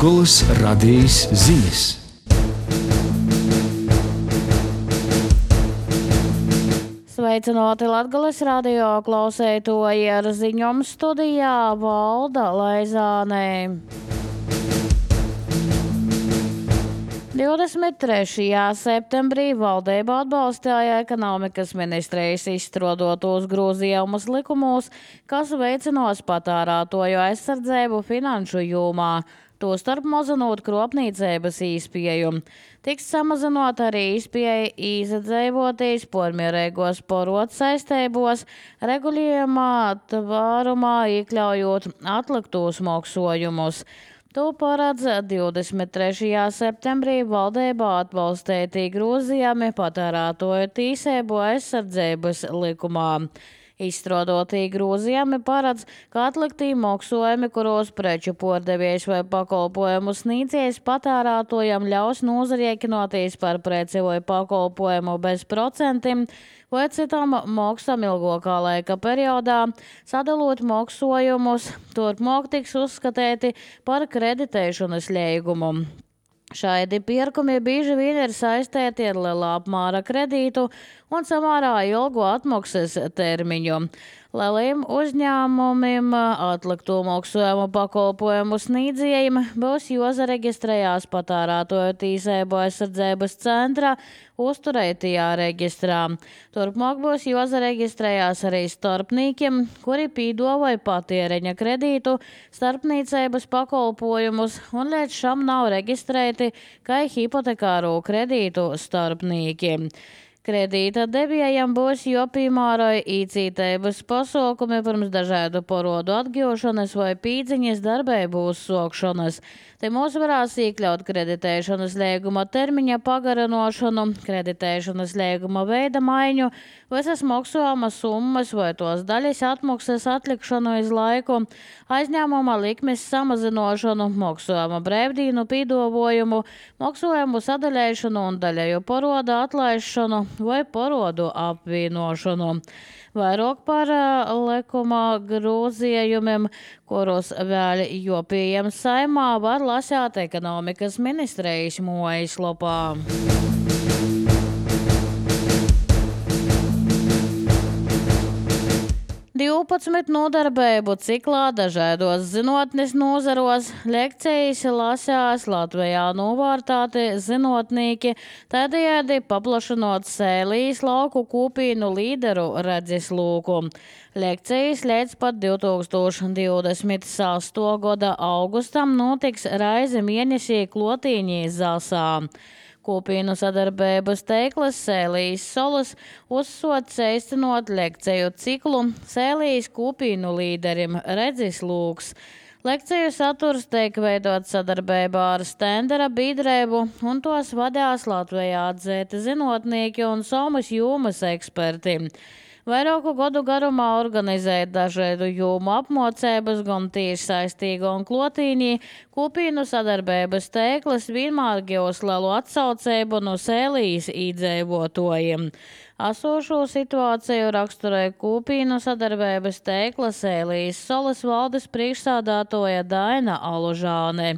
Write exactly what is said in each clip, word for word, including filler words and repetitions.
Latgolas radijas ziņas. Sveicināti Latgolas radio klausētoji, ar ziņojumu studijā Valda Laizāne. divdesmit trešajā septembrī valdība atbalstīja ekonomikas ministrijas izstrādātos grozījumus likumos, kas veicinās patērētāju aizsardzību finanšu jomā, tostarp mazinot kropniecības izpēju. Tiks samazinot arī izpēja izdzīvoties pormierīgos porotu saistībos, regulējumā tvārumā iekļaujot atliktos maksājumus. To paredz divdesmit trešajā septembrī valdībā atbalstītī grozījumi patērētāju tiesību aizsardzības likumā. Izstrādātī grozījumi paredz, ka atliktī maksājumi, kuros preču pārdevējs vai pakalpojumu sniedzējs patērētājam ļaus nozarēķinoties par preci vai pakalpojumu bez procentiem vai citām maksām ilgākā laika periodā, sadalot maksājumus, turpmāk tiks uzskatīti par kreditēšanas līgumu. Šādi pirkumi bieži vien ir saistīti ar lielā apmēra kredītu un samērā ilgu atmaksas termiņu. Lieliem uzņēmumiem atlikto maksājumu pakalpojumu sniedzējiem būs jāsareģistrējās patērētāju tiesību aizsardzības centra uzturētajā reģistrā. Turpmāk būs jāsareģistrējās arī starpniekiem, kuri piedāvā patēriņa kredītu, starpniecības pakalpojumus un līdz šam nav reģistrēti kā hipotekāro kredītu starpnieki. Kredīta devējam būs jāpiemēro īcītības pasākumi pirms dažādu porodu atgūšanas vai pīdziņas darbību uzsākšanas. Te mūs varēs iekļaut kreditēšanas līguma termiņa pagarinošanu, kreditēšanas līguma veida maiņu, visas maksājuma summas vai tos daļas atmaksas atlikšanu iz laiku, aizņēmuma likmes samazinošanu, maksājuma brīvdīnu piedāvājumu, maksājumu sadalīšanu un daļēju porodu atlaišanu vai porodu apvienošanu. Vairāk par likuma grozījumiem, kurus vēl joprojām Saeimā, var lasīt ekonomikas ministrijas mājaslapā. divpadsmit nodarbību ciklā dažādos zinātnes nozaros lekcijas lasās Latvijā novērtēti zinātnieki, tādējādi paplašinot Sēlijas lauku kopīnu līderu redzesloku. Lekcijas līdz pat divtūkstoš divdesmit sestā gada augustam notiks reizi mēnesī Klotīņī Zasā. Kopīnu sadarbības teiklas Sēlijas solas uzsots īstenot lekciju ciklu Sēlijas kopīnu līderim redzeslūks. Lekciju saturs tiek veidots sadarbībā ar Stendera biedrību un tos vadās Latvijā atzīti zinātnieki un somas jomas eksperti. Vairāku gadu garumā organizēt dažādu jomu apmācības, gan tieši saistīgu un Klotīņī, kopīnu sadarbības teiklas vienmēr gūs lielu atsaucību no Sēlijas iedzīvotājiem. Esošo situāciju raksturē kopīnu sadarbības teikla Sēlijas solas valdes priekšsādātāja Daina Alužāne.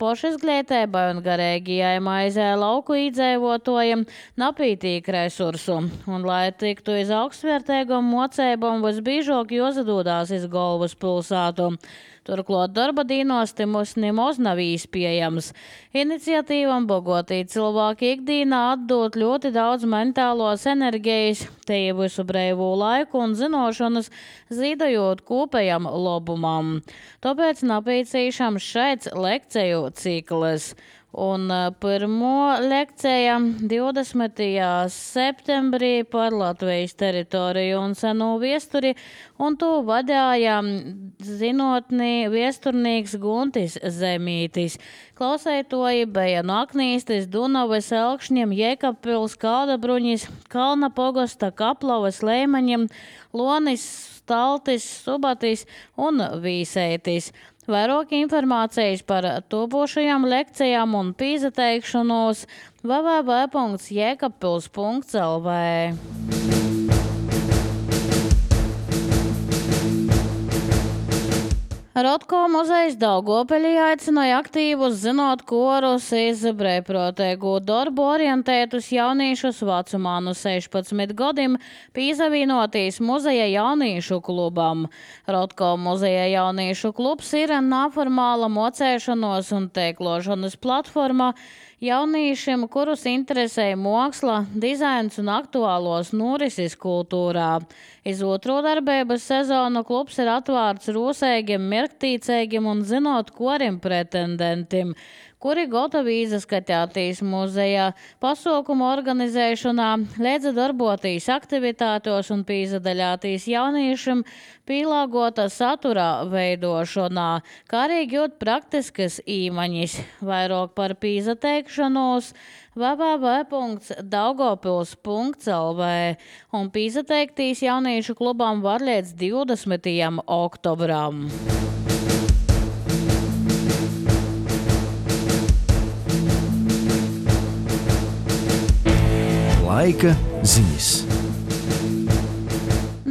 Pošizglītībai un garīgajai maizē lauku iedzīvotājiem napītīk resursu, un lai tiktu iz augstvērtīgām mocībām, visbiežāk jāsadodās iz galvaspilsētu. Turklāt darba dīnos timus nemaz nav īspējams. Iniciatīvam bagotī cilvēki ikdīnā atdot ļoti daudz mentālos enerģijas, te visu brīvo laiku un zinošanas, zīdojot kopējam labumam. Tāpēc napīcīšam šeit lekciju ciklis. Un pirmo lekcija divdesmitajā septembrī par Latvijas teritoriju un seno viesturi, un to vadīja zinotnī viesturnīgs Guntis Zemītis. Klausētoji bija no Aknīstes, Dunavas, Elkšņiem, Jēkabpils, Kaudabruņis, Kalna pogosta, Kaplavas, Leimaņiem, Lonis, Staltis, Subatis un Vīsētis. Vairāk informācijas par topošajām lekcijām un pīzateikšanos w w w punkts jēkabpils punkts l v. Rotko muzejs Daugavpilī aicināja aktīvus zinot korus iz brīvprātīgu darbu orientētus jauniešus vecumā no sešpadsmit gadiem pīzavīnotīs muzeja jauniešu klubam. Rotko muzeja jauniešu klubs ir neformāla mocēšanos un tēklošanas platforma jauniešiem, kurus interesē māksla, dizains un aktuālos norises kultūrā. Iz otro darbības sezonu klubs ir atvērts rūsēgiem, mierktīcēgiem un zinot koriem pretendentiem, kuri gatavi izskatētīs muzejā, pasaukumu organizēšanā, līdz darbotīs aktivitātos un pīzadaļātīs jauniešiem pielāgota satura veidošanā, kā arī gūt praktiskas īmaņas. Vairāk par pīzateikšanos w w w punkts daugavpils punkts l v un pīzateiktīs jauniešu klubam var līdz divdesmitajam oktobram. Laika ziņas.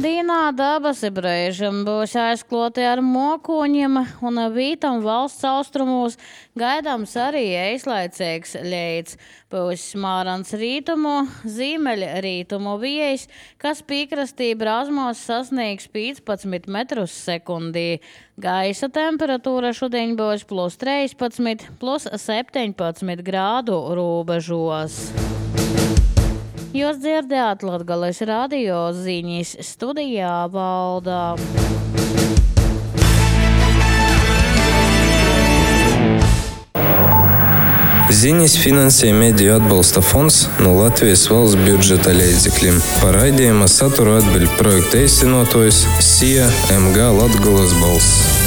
Dīnā dabas brīžam būs aizkloti ar mokoņiem un vītam valsts austrumos gaidāms arī īslaicīgs leids. Būs smārans rītumu, zīmeļa rītumu vējs, kas piekrastī brāzmos sasniegs piecpadsmit metrus sekundī. Gaisa temperatūra šodien būs plus trīspadsmit, plus septiņpadsmit grādu robežos. Jūs dzirdējāt Latgales radio ziņas, studijā Valdā. Ziņas finansē Mediju atbalsta fonds no Latvijas valsts budžeta līdzekļiem. Par raidījuma saturu atbild projekta īstenotājs S I A M G Latgales balss.